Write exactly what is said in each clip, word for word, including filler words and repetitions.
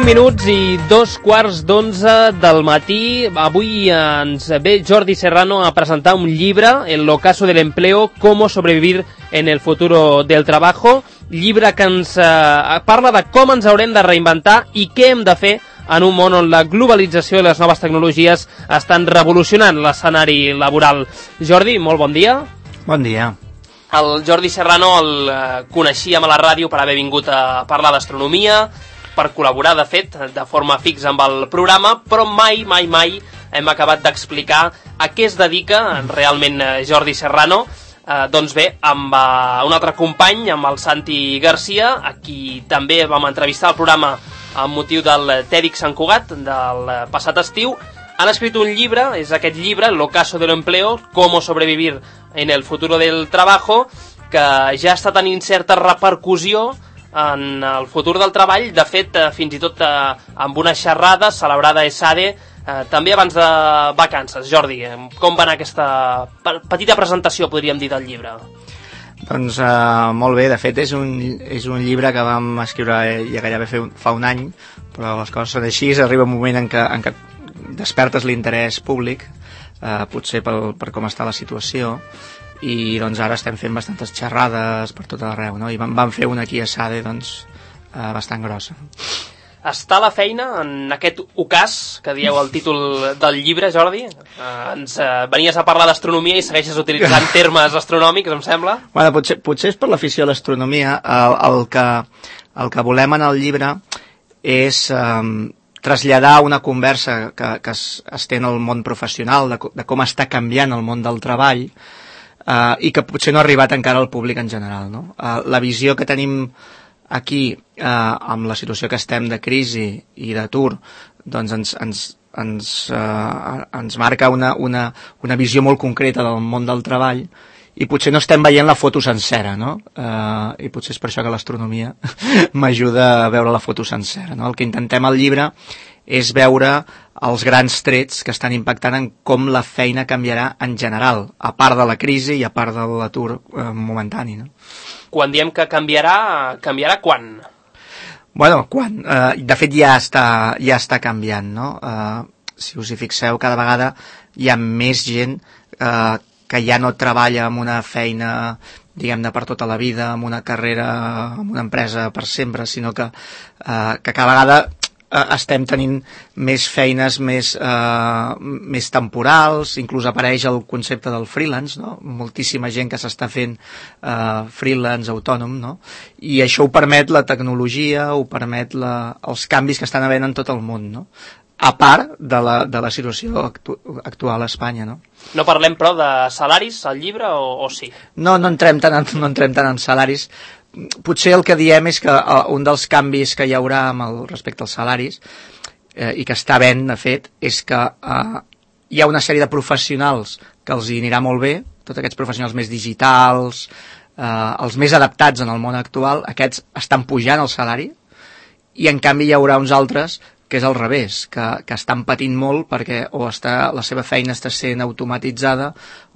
minuts i dos quarts d'onze del matí. Avui ens ve Jordi Serrano a presentar un llibre, El ocaso del empleo, cómo sobrevivir en el futuro del trabajo. Llibre que ens eh, parla de com ens haurem de reinventar i què hem de fer en un món on la globalització i les noves tecnologies estan revolucionant l'escenari laboral. Jordi, molt bon dia. Bon dia. El Jordi Serrano el eh, coneixíem a la ràdio per haver vingut a parlar d'astronomia, per col·laborar, de fet, de forma fixa amb el programa, però mai, mai, mai hem acabat d'explicar a què es dedica realment Jordi Serrano. Eh, doncs bé, amb eh, un altre company, amb el Santi Garcia, a qui també vam entrevistar al programa amb motiu del TEDx Sant Cugat del passat estiu. Han escrit un llibre, és aquest llibre, El ocaso del empleo, cómo sobrevivir en el futuro del trabajo, que ja està tenint certa repercussió en el futur del treball. De fet, eh, fins i tot eh, amb una xerrada celebrada a ESADE, eh, també abans de vacances. Jordi, eh, com va anar aquesta petita presentació, podríem dir, del llibre? Doncs eh, molt bé, de fet és un, és un llibre que vam escriure ja gairebé fa un, fa un any, però les coses són així, arriba un moment en què, en què despertes l'interès públic, eh, potser pel, per com està la situació, i doncs ara estem fent bastantes xerrades per tot arreu, no? I vam, vam fer una aquí a SADE, doncs, eh, bastant grossa. Està la feina en aquest ocàs que dieu el títol del llibre, Jordi? Eh, ens eh, venies a parlar d'astronomia i segueixes utilitzant termes astronòmics, em sembla? Bueno, potser, potser és per l'afició a l'astronomia. El, el, que, el que volem en el llibre és eh, traslladar una conversa que, que es, es té en el món professional, de, de com està canviant el món del treball, Uh, i que potser no ha arribat encara al públic en general, no? Uh, la visió que tenim aquí, uh, amb la situació que estem de crisi i d'atur, doncs ens, ens, ens, uh, ens marca una, una, una visió molt concreta del món del treball, i potser no estem veient la foto sencera, no? Uh, I potser és per això que l'astronomia m'ajuda a veure la foto sencera, no? El que intentem al llibre és veure els grans trets que estan impactant en com la feina canviarà en general, a part de la crisi i a part de l'atur eh, momentani, no? Quan diem que canviarà, canviarà quan? Bueno, quan? Eh, de fet ja està, ja està canviant, no? Eh, si us hi fixeu, cada vegada hi ha més gent eh, que ja no treballa en una feina, diguem-ne, per tota la vida, en una carrera, en una empresa per sempre, sinó que, eh, que cada vegada estem tenint més feines més, eh, més temporals, inclús apareix el concepte del freelance, no? Moltíssima gent que s'està fent eh, freelance, autònom, no? I això ho permet la tecnologia, ho permet la, els canvis que estan havent en tot el món, no? A part de la, de la situació actu actual a Espanya, no? No parlem, però, de salaris al llibre, o, o sí? No, no entrem tant en, no entrem tant en salaris. Potser el que diem és que uh, un dels canvis que hi haurà amb el, respecte als salaris, eh, i que està ben, de fet, és que uh, hi ha una sèrie de professionals que els hi anirà molt bé, tots aquests professionals més digitals, uh, els més adaptats en el món actual, aquests estan pujant el salari, i en canvi hi haurà uns altres que és al revés, que, que estan patint molt perquè o està, la seva feina està sent automatitzada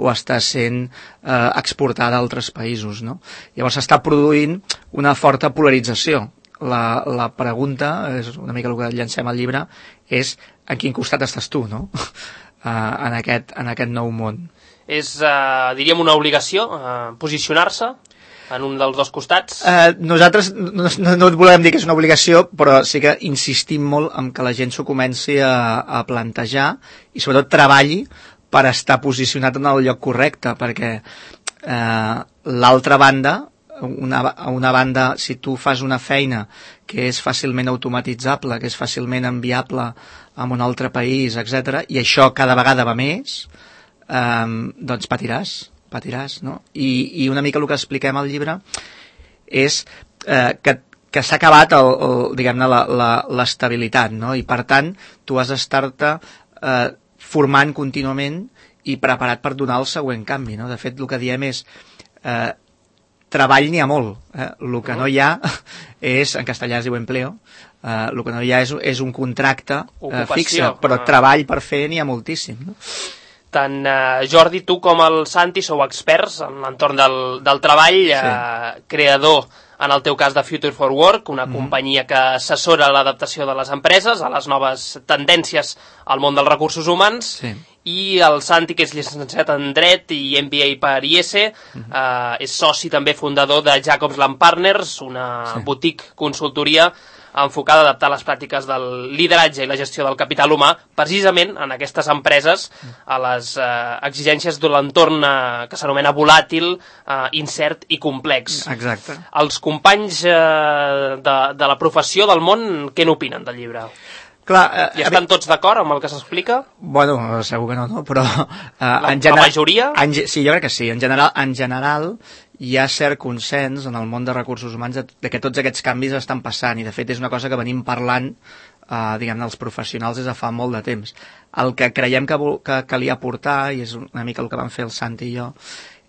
o està sent eh, exportada a altres països, no? Llavors s'està produint una forta polarització. La, la pregunta, és una mica el que llancem al llibre, és en quin costat estàs tu, no? uh, en, aquest, en aquest nou món. És, uh, diríem, una obligació uh, posicionar-se en un dels dos costats? Eh, nosaltres no, no, no volem dir que és una obligació, però sí que insistim molt en que la gent s'ho comenci a, a plantejar i sobretot treballi per estar posicionat en el lloc correcte, perquè eh, l'altra banda, una, una banda, si tu fas una feina que és fàcilment automatitzable, que és fàcilment enviable a un altre país, etcètera, i això cada vegada va més, eh, doncs patiràs. patiràs, no? I, i una mica el que expliquem al llibre és eh, que, que s'ha acabat el, el, diguem-ne, l'estabilitat, no? I per tant tu has d'estar-te eh, formant contínuament i preparat per donar el següent canvi, no? De fet, el que diem és eh, treball n'hi ha molt, eh? El que no hi ha és, en castellà es diu empleo, eh, el que no hi ha és, és un contracte eh, fixe, però treball per fer n'hi ha moltíssim, no? Tant eh, Jordi, tu com el Santi sou experts en l'entorn del, del treball, sí. eh, creador, en el teu cas, de Future for Work, una mm. companyia que assessora l'adaptació de les empreses a les noves tendències al món dels recursos humans, sí. I el Santi, que és llicenciat en Dret i M B A per I E S E, mm-hmm. eh, és soci també fundador de Jacobs Land Partners, una sí. boutique consultoria enfocada a adaptar les pràctiques del lideratge i la gestió del capital humà precisament en aquestes empreses a les eh, exigències d'un entorn eh, que s'anomena volàtil, eh, incert i complex. Exacte. Els companys eh, de, de la professió del món, què n'opinen del llibre? Clar, eh, I estan tots d'acord amb el que s'explica? Bueno, segur que no, no? Però... Eh, la, en general, la majoria? En, sí, jo crec que sí. En general, en general hi ha cert consens en el món de recursos humans de, de que tots aquests canvis estan passant i de fet és una cosa que venim parlant eh, diguem-ne, els professionals des de fa molt de temps. El que creiem que, que calia aportar, i és una mica el que van fer el Santi i jo,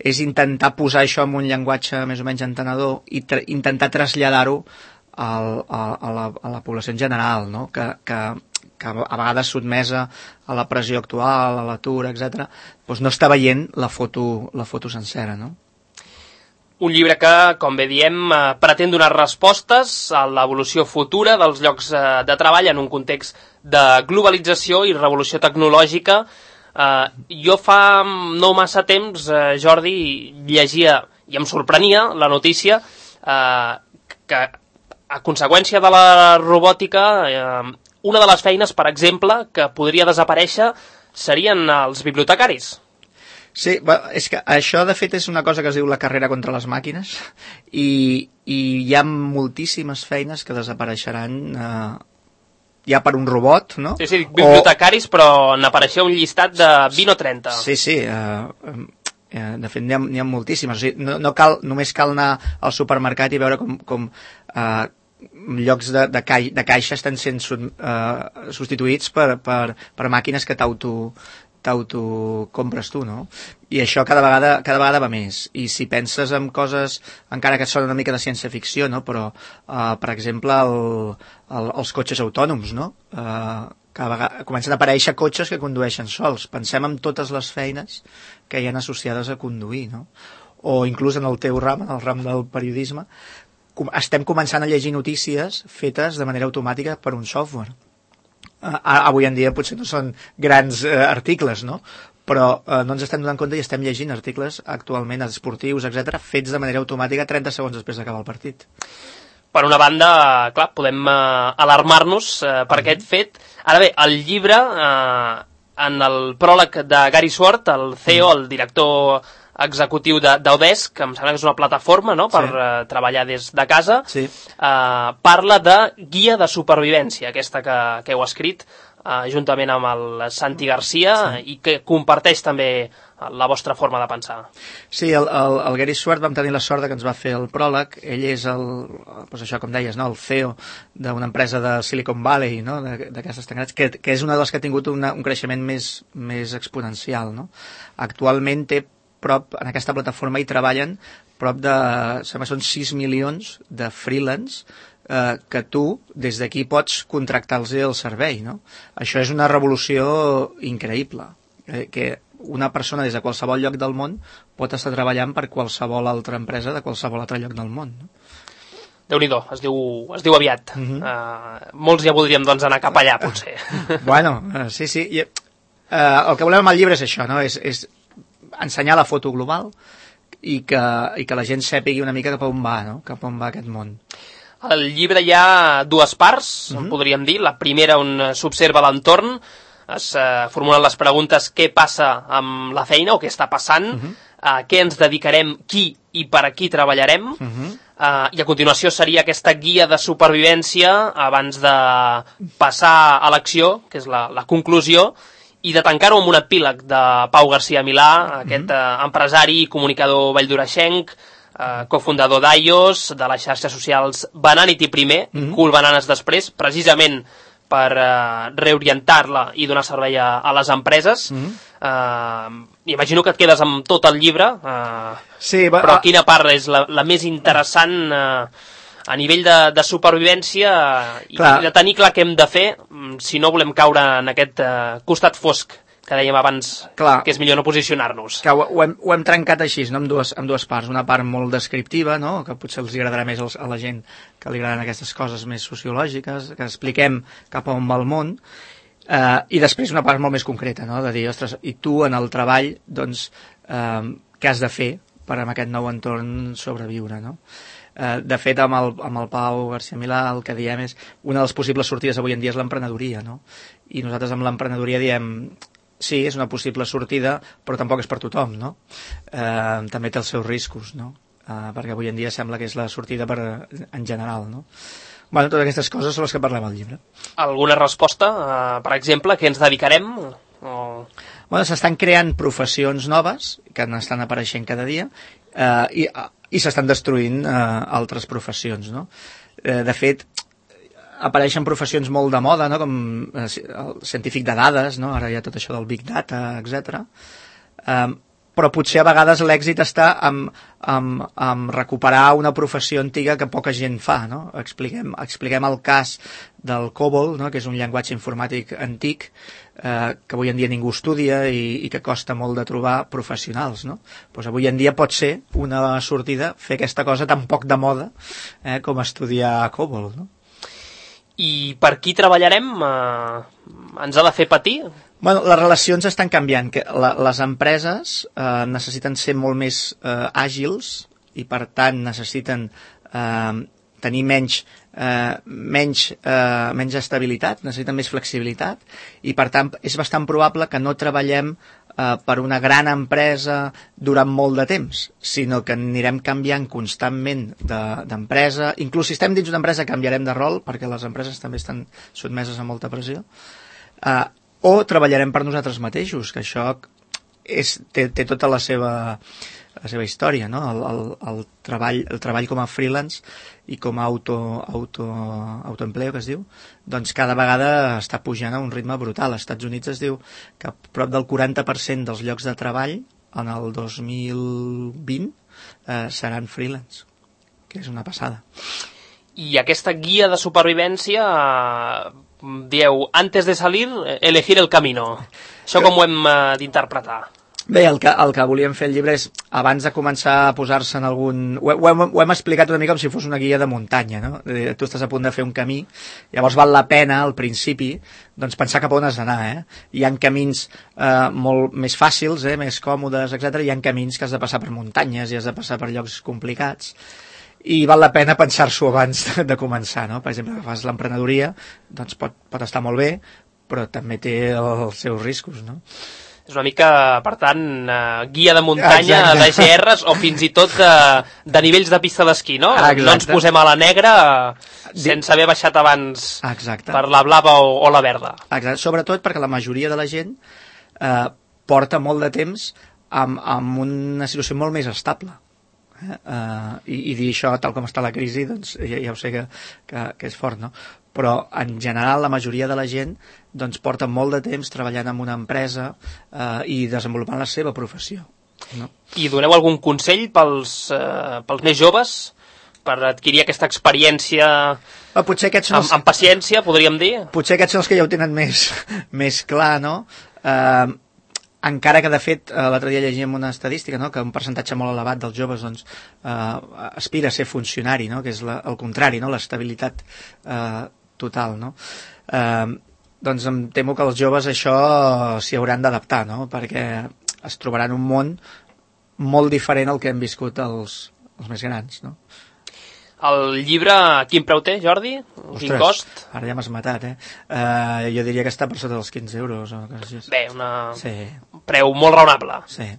és intentar posar això en un llenguatge més o menys entenedor i tra intentar traslladar-ho Al, a, a, la, a la població en general, no? que, que, que a vegades sotmesa a la pressió actual, a l'atur, etcètera, doncs no està veient la foto, la foto sencera. No? Un llibre que, com bé diem, eh, pretén donar respostes a l'evolució futura dels llocs eh, de treball en un context de globalització i revolució tecnològica. Eh, jo fa no massa temps, eh, Jordi, llegia, i em sorprenia, la notícia eh, que a conseqüència de la robòtica, eh, una de les feines, per exemple, que podria desaparèixer serien els bibliotecaris. Sí, és que això de fet és una cosa que es diu la carrera contra les màquines i, i hi ha moltíssimes feines que desapareixeran eh, ja per un robot, no? Sí, sí, bibliotecaris, o... però n'apareixia un llistat de vint o trenta. Sí, sí, eh, eh, de fet n'hi ha, n'hi ha moltíssimes. O sigui, no, no cal, només cal anar al supermercat i veure com... com eh, llocs de, de, cai, de caixa estan sent uh, substituïts per, per, per màquines que t'auto t'auto compres tu, no? I això cada vegada, cada vegada va més. I si penses en coses, encara que són una mica de ciència-ficció, no? Però, uh, per exemple, el, el, els cotxes autònoms, no? Uh, cada vegada comencen a aparèixer cotxes que condueixen sols. Pensem en totes les feines que hi ha associades a conduir, no? O inclús en el teu ram, en el ram del periodisme, estem començant a llegir notícies fetes de manera automàtica per un software. Uh, avui en dia potser no són grans uh, articles, no? Però uh, no ens estem donant compte i estem llegint articles actualment esportius, etcètera, fets de manera automàtica trenta segons després d'acabar el partit. Per una banda, clar, podem uh, alarmar-nos uh, per uh-huh. aquest fet. Ara bé, el llibre, uh, en el pròleg de Gary Swart, el C E O, uh-huh. el director executiu d'Odesk, que em sembla que és una plataforma, no?, per sí. uh, treballar des de casa, sí. uh, parla de guia de supervivència, aquesta que, que heu escrit uh, juntament amb el Santi Garcia sí. i que comparteix també la vostra forma de pensar. Sí, el, el, el Gary Swart vam tenir la sort que ens va fer el pròleg. Ell és el, doncs això com deies, no?, el C E O d'una empresa de Silicon Valley, no?, d'aquestes tan grans, que, que és una de les que ha tingut una, un creixement més, més exponencial, no? Actualment té prop, en aquesta plataforma hi treballen prop de, sembla, són sis milions de freelance eh, que tu des d'aquí pots contractar-los el servei, no? Això és una revolució increïble, eh, que una persona des de qualsevol lloc del món pot estar treballant per qualsevol altra empresa de qualsevol altre lloc del món, no? Déu-n'hi-do, es diu, es diu aviat. Uh-huh. uh, molts ja voldríem doncs anar cap allà, potser. Bueno, uh, sí, sí. I, uh, el que volem amb el llibre és això, no? És, és ensenyar la foto global i que, i que la gent sàpigui una mica cap on va, no? Cap on va aquest món. Al llibre hi ha dues parts, uh-huh. podríem dir. La primera on s'observa l'entorn, es uh, formulen les preguntes què passa amb la feina o què està passant, uh-huh. uh, què ens dedicarem, qui i per a qui treballarem, uh-huh. uh, i a continuació seria aquesta guia de supervivència abans de passar a l'acció, que és la, la conclusió, i de tancar-ho amb un epíleg de Pau García Milà, aquest mm-hmm. eh, empresari i comunicador valldoreixenc, eh, cofundador d'I O S, de les xarxes socials Bananity primer, mm-hmm. Cool Bananes després, precisament per eh, reorientar-la i donar servei a, a les empreses. Mm-hmm. eh, imagino que et quedes amb tot el llibre, eh, sí, va, però quina part és la, la més interessant eh, a nivell de, de supervivència i de tenir clar què hem de fer si no volem caure en aquest uh, costat fosc que dèiem abans, clar, que és millor no posicionar-nos. Que ho, ho, hem, ho hem trencat així, no? amb, dues, amb dues parts. Una part molt descriptiva, no? que potser els agradarà més a la gent que li agraden aquestes coses més sociològiques, que expliquem cap a on va el món, eh, i després una part molt més concreta, no? de dir, ostres, i tu en el treball, doncs, eh, què has de fer per en aquest nou entorn sobreviure, no? Eh, de fet, amb el, amb el Pau García Milà el que diem és una de les possibles sortides avui en dia és l'emprenedoria, no? I nosaltres amb l'emprenedoria diem sí, és una possible sortida, però tampoc és per tothom, no? Eh, també té els seus riscos, no? Eh, perquè avui en dia sembla que és la sortida per, en general, no? Bueno, totes aquestes coses són les que parlem al llibre. Alguna resposta? Uh, per exemple, què ens dedicarem? O... Bueno, s'estan creant professions noves, que n'estan apareixent cada dia, eh, i, i s'estan destruint eh, altres professions, no? Eh, de fet, apareixen professions molt de moda, no? Com eh, el científic de dades, no? Ara hi ha tot això del Big Data, etcètera. Eh, però potser a vegades l'èxit està en, en, en recuperar una professió antiga que poca gent fa, no? Expliquem, expliquem el cas del COBOL, no? Que és un llenguatge informàtic antic, eh, que avui en dia ningú estudia i, i que costa molt de trobar professionals, no? Pues avui en dia pot ser una sortida fer aquesta cosa tan poc de moda eh, com estudiar COBOL, no? I per qui treballarem? Eh, ens ha de fer patir? Bueno, les relacions estan canviant. Que la, les empreses eh, necessiten ser molt més eh, àgils i, per tant, necessiten eh, tenir menys, eh, menys, eh, menys estabilitat, necessiten més flexibilitat i, per tant, és bastant probable que no treballem eh, per una gran empresa durant molt de temps, sinó que anirem canviant constantment d'empresa. De, inclús si estem dins d'una empresa canviarem de rol, perquè les empreses també estan sotmeses a molta pressió. Eh, o treballarem per nosaltres mateixos, que això és, té, té tota la seva, la seva història, no? El, el, el, treball, el treball com a freelance i com a auto, auto, autoempleo, que es diu, doncs cada vegada està pujant a un ritme brutal. Als Estats Units es diu que prop del quaranta per cent dels llocs de treball en el dos mil vint eh, seran freelance, que és una passada. I aquesta guia de supervivència... Eh... dieu, antes de salir, elegir el camino. Això com ho hem uh, d'interpretar? Bé, el que, el que volíem fer el llibre és, abans de començar a posar-se en algun... Ho, ho, hem, ho hem explicat una mica com si fos una guia de muntanya, no? Tu estàs a punt de fer un camí, llavors val la pena, al principi, doncs pensar cap on has d'anar, eh? Hi ha camins eh, molt més fàcils, eh, més còmodes, etcètera. Hi ha camins que has de passar per muntanyes i has de passar per llocs complicats. I val la pena pensar-s'ho abans de, de començar, no? Per exemple, que fas l'emprenedoria, doncs pot, pot estar molt bé, però també té els seus riscos, no? És una mica, per tant, uh, guia de muntanya, exacte, de G Rs o fins i tot de, de nivells de pista d'esquí, no? Exacte. No ens posem a la negra sense haver baixat abans exacte. Per la blava o, o la verda. Exacte. Sobretot perquè la majoria de la gent eh, porta molt de temps amb, amb una situació molt més estable. Eh? Uh, i, i dir això tal com està la crisi, doncs ja, ja ho sé que, que, que és fort, no? Però en general la majoria de la gent doncs porta molt de temps treballant en una empresa uh, i desenvolupant la seva professió, no? I doneu algun consell pels, uh, pels més joves per adquirir aquesta experiència uh, potser aquests són els... amb, amb paciència, podríem dir? Potser aquests són els que ja ho tenen més, més clar, no? Uh, encara que, de fet, l'altre dia llegíem una estadística, no? Que un percentatge molt elevat dels joves doncs, eh, aspira a ser funcionari, no? Que és la, el contrari, no? L'estabilitat eh, total, no? Eh, doncs em temo que els joves això s'hi hauran d'adaptar, no? Perquè es trobaran un món molt diferent al que hem viscut els, els més grans, no? El llibre, quin preu té, Jordi? Ostres, quin cost? Ara ja m'has matat, eh? Uh, jo diria que està per sota dels quinze euros. O quasi. Bé, una... sí. preu molt raonable. Sí.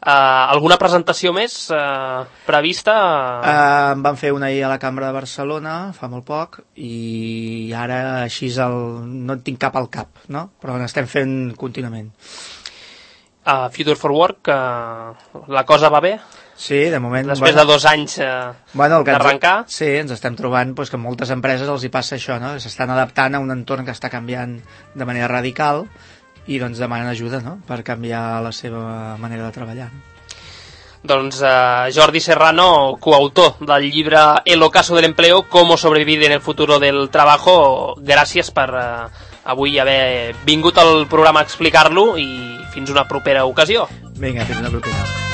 Uh, alguna presentació més uh, prevista? Uh, en van fer una ahir a la Cambra de Barcelona, fa molt poc, i ara així el... no en tinc cap al cap, no? Però n'estem fent contínuament. Uh, Future for Work, uh, la cosa va bé? Sí, de moment... Després bueno, de dos anys eh, bueno, d'arrencar? Ens, sí, ens estem trobant pues, que moltes empreses els hi passa això, no? S'estan adaptant a un entorn que està canviant de manera radical i doncs demanen ajuda, no? Per canviar la seva manera de treballar. Doncs eh, Jordi Serrano, coautor del llibre El ocaso del empleo, cómo sobrevivir en el futuro del trabajo, gràcies per, eh, avui haver vingut al programa a explicar-lo i fins una propera ocasió. Vinga, fins una propera.